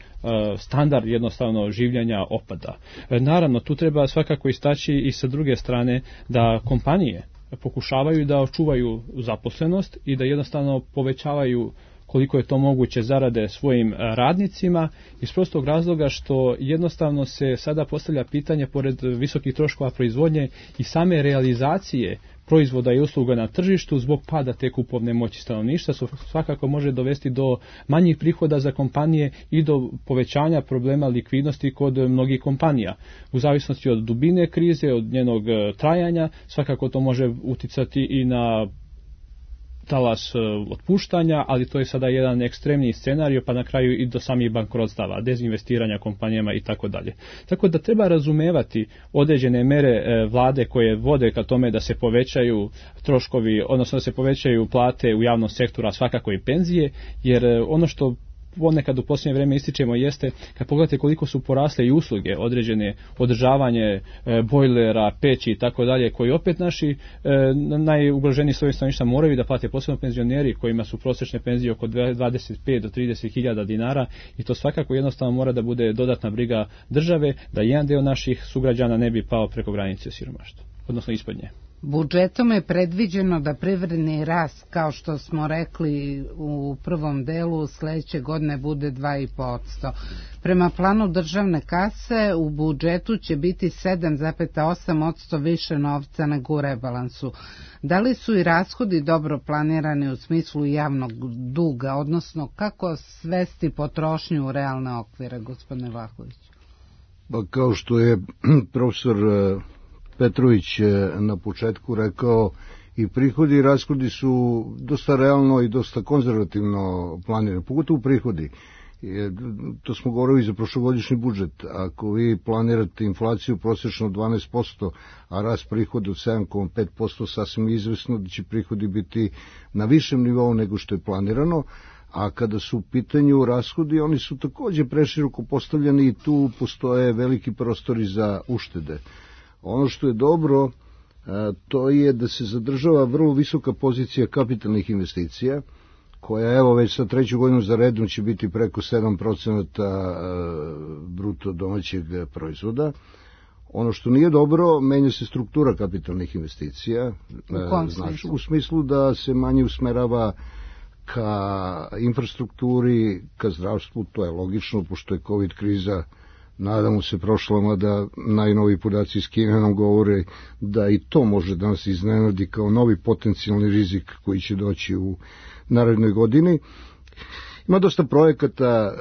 standard jednostavno življenja opada. E, naravno, tu treba svakako istaći i sa druge strane da kompanije pokušavaju da očuvaju zaposlenost i da jednostavno povećavaju koliko je to moguće zarade svojim radnicima iz prostog razloga što jednostavno se sada postavlja pitanje pored visokih troškova proizvodnje i same realizacije proizvoda i usluga na tržištu zbog pada te kupovne moći stanovništva svakako može dovesti do manjih prihoda za kompanije i do povećanja problema likvidnosti kod mnogih kompanija. U zavisnosti od dubine krize, od njenog trajanja, svakako to može uticati i na talas otpuštanja, ali to je sada jedan ekstremni scenario, pa na kraju i do samih bankrotstava, dezinvestiranja kompanijama i tako dalje. Tako da treba razumevati određene mere vlade koje vode ka tome da se povećaju troškovi, odnosno da se povećaju plate u javnom sektoru, a svakako i penzije, jer ono što ponekad u posljednje vrijeme ističemo jeste, kad pogledate koliko su porasle i usluge, određene održavanje e, bojlera, peći i tako dalje, koji opet naši e, najugroženiji slojevi stanovništva moraju da plate, posebno penzioneri kojima su prosječne penzije oko dvadeset pet do trideset hiljada dinara i to svakako jednostavno mora da bude dodatna briga države da jedan deo naših sugrađana ne bi pao preko granice siromaštva, odnosno ispod nje. Budžetom je predviđeno da privredni rast, kao što smo rekli u prvom delu, sledeće godine bude dva i po posto. Prema planu državne kase u budžetu će biti sedam zarez osam posto više novca nego u rebalansu. Da li su i rashodi dobro planirani u smislu javnog duga, odnosno kako svesti potrošnju u realne okvire, gospodine Vlahović? Pa kao što je profesor Petrović na početku rekao, i prihodi i rashodi su dosta realno i dosta konzervativno planirani, pogotovo prihodi. To smo govorili za prošlogodišnji budžet. Ako vi planirate inflaciju prosječno dvanaest posto, a rast prihoda od sedam zarez pet posto, sasvim izvesno da će prihodi biti na višem nivou nego što je planirano, a kada su u pitanju rashodi, oni su takođe preširoko postavljeni i tu postoje veliki prostori za uštede. Ono što je dobro, to je da se zadržava vrlo visoka pozicija kapitalnih investicija, koja evo već sa treću godinu za redom će biti preko sedam procenata bruto domaćeg proizvoda. Ono što nije dobro, menja se struktura kapitalnih investicija. U kom smislu? U smislu da se manje usmerava ka infrastrukturi, ka zdravstvu, to je logično, pošto je COVID kriza, nadamo se prošla, mada najnoviji podaci iz Kine nam govore da i to može da nas iznenadi kao novi potencijalni rizik koji će doći u narednoj godini. Ima dosta projekata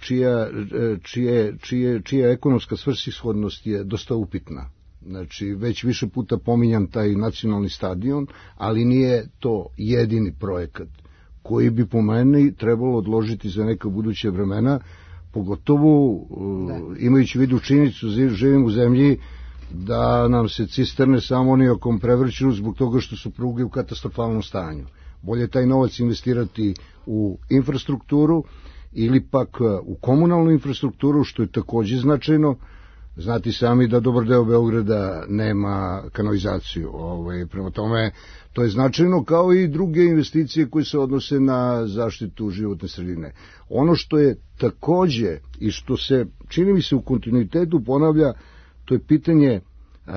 čija, čije, čije, čija ekonomska svrsishodnost je dosta upitna. Znači, već više puta pominjam taj nacionalni stadion, ali nije to jedini projekat koji bi po meni trebalo odložiti za neka buduća vremena, pogotovo da. Imajući vidu činjenicu, živim u zemlji da nam se cisterne sa amonijakom prevrću zbog toga što su pruge u katastrofalnom stanju. Bolje taj novac investirati u infrastrukturu ili pak u komunalnu infrastrukturu, što je takođe značajno. Znati sami da dobar deo Beograda nema kanalizaciju. Ovaj, prema tome, to je značajno, kao i druge investicije koje se odnose na zaštitu životne sredine. Ono što je takođe i što se, čini mi se, u kontinuitetu ponavlja, to je pitanje a,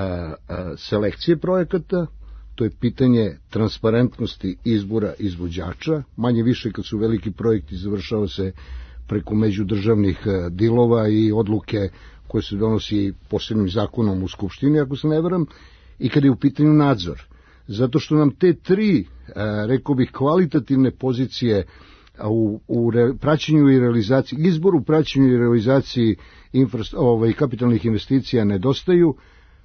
a, selekcije projekata, to je pitanje transparentnosti izbora izvođača, manje više kad su veliki projekti završava se preko međudržavnih dilova i odluke koje se donosi posebnim zakonom u Skupštini, ako se ne varam, i kada je u pitanju nadzor. Zato što nam te tri, rekao bih, kvalitativne pozicije u, u re, praćenju i realizaciji, izboru, praćenju i realizaciji infra, ovaj, kapitalnih investicija nedostaju,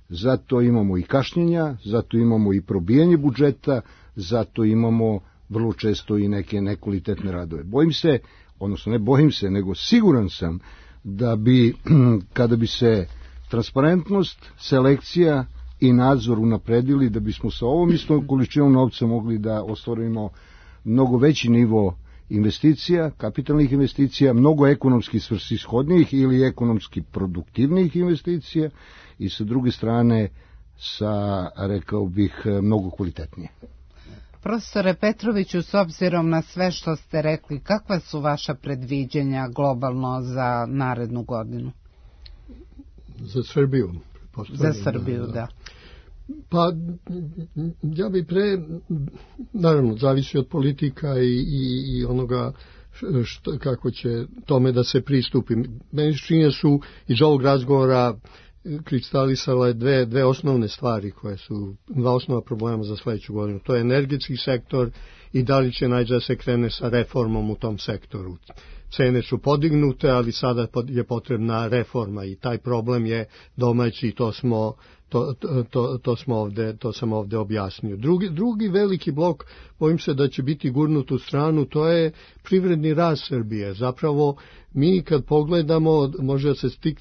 zato imamo i kašnjenja, zato imamo i probijanje budžeta, zato imamo vrlo često i neke nekvalitetne radove. Bojim se, odnosno ne bojim se, nego siguran sam da bi, kada bi se transparentnost, selekcija i nadzor unapredili, da bismo sa ovom istom količinom novca mogli da ostvarimo mnogo veći nivo investicija, kapitalnih investicija, mnogo ekonomski svrsishodnijih ili ekonomski produktivnijih investicija i sa druge strane sa, rekao bih, mnogo kvalitetnije. Profesore Petroviću, s obzirom na sve što ste rekli, kakva su vaša predviđanja globalno za narednu godinu? Za Srbiju. Za Srbiju, da. da. Pa, ja bi pre, naravno, zavisi od politika i, i, i onoga što, kako će tome da se pristupi. Meni činje su iz ovog razgovora kristalisale dve, dve osnovne stvari koje su dva osnova problema za sledeću godinu. To je energetski sektor i da li će naći da se krene sa reformom u tom sektoru. Cene su podignute, ali sada je potrebna reforma i taj problem je domaći i to smo To, to, to, smo ovde, to sam ovde objasnio. Drugi, drugi veliki blok, bojim se da će biti gurnut u stranu, to je privredni rast Srbije. Zapravo, mi kad pogledamo, može da se stik,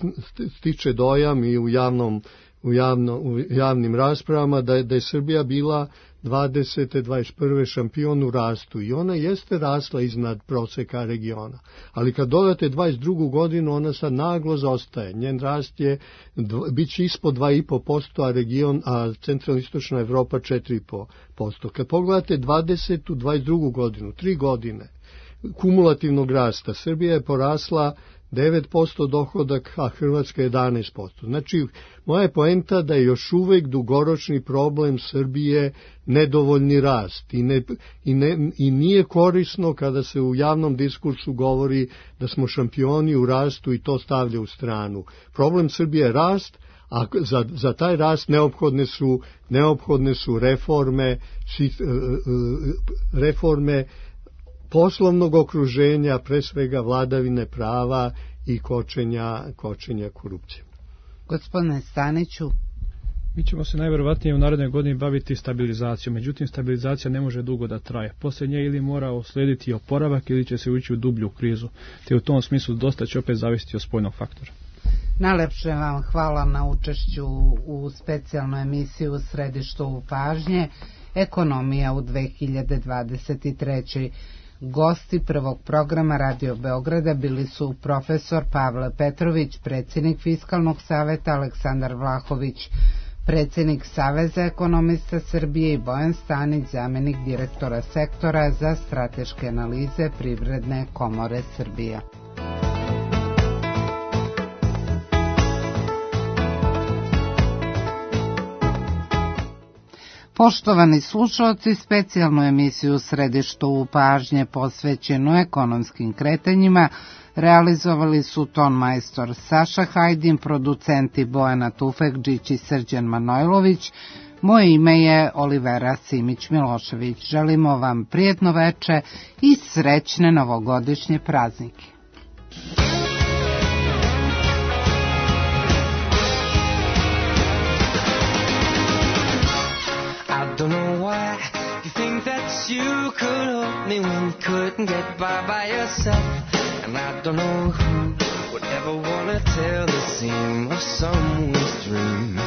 stiče dojam i u, javnom, u, javno, u javnim raspravama da je, da je Srbija bila dvadesete dvadeset prve šampion u rastu i ona jeste rasla iznad proseka regiona. Ali kad dodate dvadeset drugu godinu, ona sad naglo zaostaje. Njen rast je, bit će ispod dva i po posto, a region, a centralno-istočna Evropa četiri i po posto. Kad pogledate dvadesetu dvadeset drugu godinu, tri godine kumulativnog rasta, Srbija je porasla devet posto dohodak, a Hrvatska jedanaest posto. Znači, moja je poenta da je još uvek dugoročni problem Srbije nedovoljni rast i, ne, i, ne, i nije korisno kada se u javnom diskursu govori da smo šampioni u rastu i to stavlja u stranu. Problem Srbije je rast, a za, za taj rast neophodne su, neophodne su reforme, reforme poslovnog okruženja, pre svega vladavine prava i kočenja, kočenja korupcije. Gospodine Staniću, mi ćemo se najverovatnije u narednoj godini baviti stabilizacijom, međutim stabilizacija ne može dugo da traje. Poslije nje ili mora uslediti oporavak ili će se ući u dublju krizu, te u tom smislu dosta će opet zavisiti od spoljnog faktora. Najlepše vam hvala na učešću u specijalnoj emisiji U središtu pažnje, Ekonomija u dve hiljade dvadeset trećoj. Gosti prvog programa Radio Beograda bili su profesor Pavle Petrović, predsjednik Fiskalnog saveta, Aleksandar Vlahović, predsjednik Saveza ekonomista Srbije i Bojan Stanić, zamenik direktora sektora za strateške analize Privredne komore Srbije. Poštovani slušalci, specijalnu emisiju Središtu u pažnje posvećenu ekonomskim kretanjima realizovali su ton majstor Saša Hajdin, producenti Bojana Tufekđić i Srđan Manojlović. Moje ime je Olivera Simić-Milošević. Želimo vam prijetno veče i srećne novogodišnje praznike. Don't know why you think that you could help me when you couldn't get by by yourself. And I don't know who would ever want to tell the seam of someone's dream.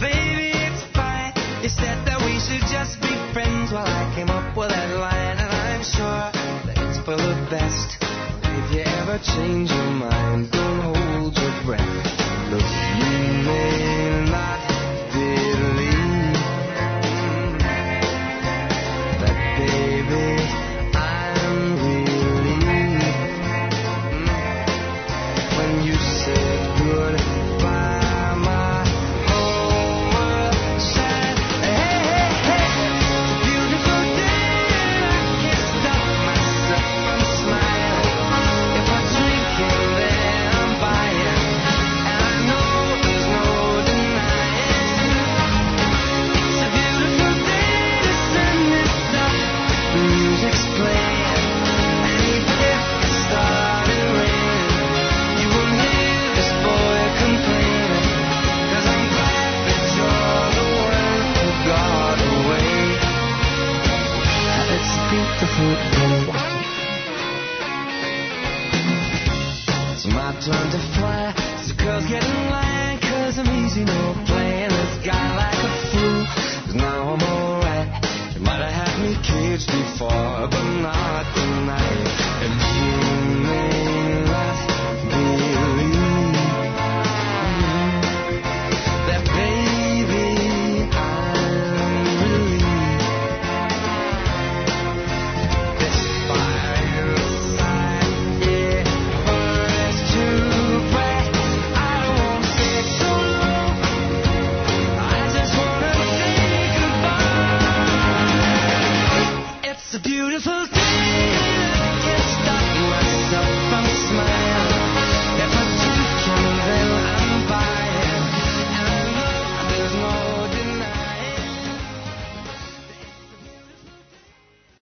Baby, it's fine. You said that we should just be friends. Well, I came up with that line, and I'm sure that it's for the best. If you ever change your mind, don't hold your breath. Look, you may not believe, baby, I'm relieved when you said goodbye. My whole world shined. Hey, hey, hey, it's a beautiful day and I can't stop myself from smiling. If I drink and then I'm buying, and I know there's no denying. It's a beautiful day to send this stuff. The music's playing, and even if it started raining, you won't hear this boy complaining, 'cause I'm glad that you're the one who got away. It's a beautiful day. It's my turn to fly, so girls get in line, 'cause I'm easy, no playing this guy like a fool, 'cause now I'm alright. You might have had me caged before, but not tonight.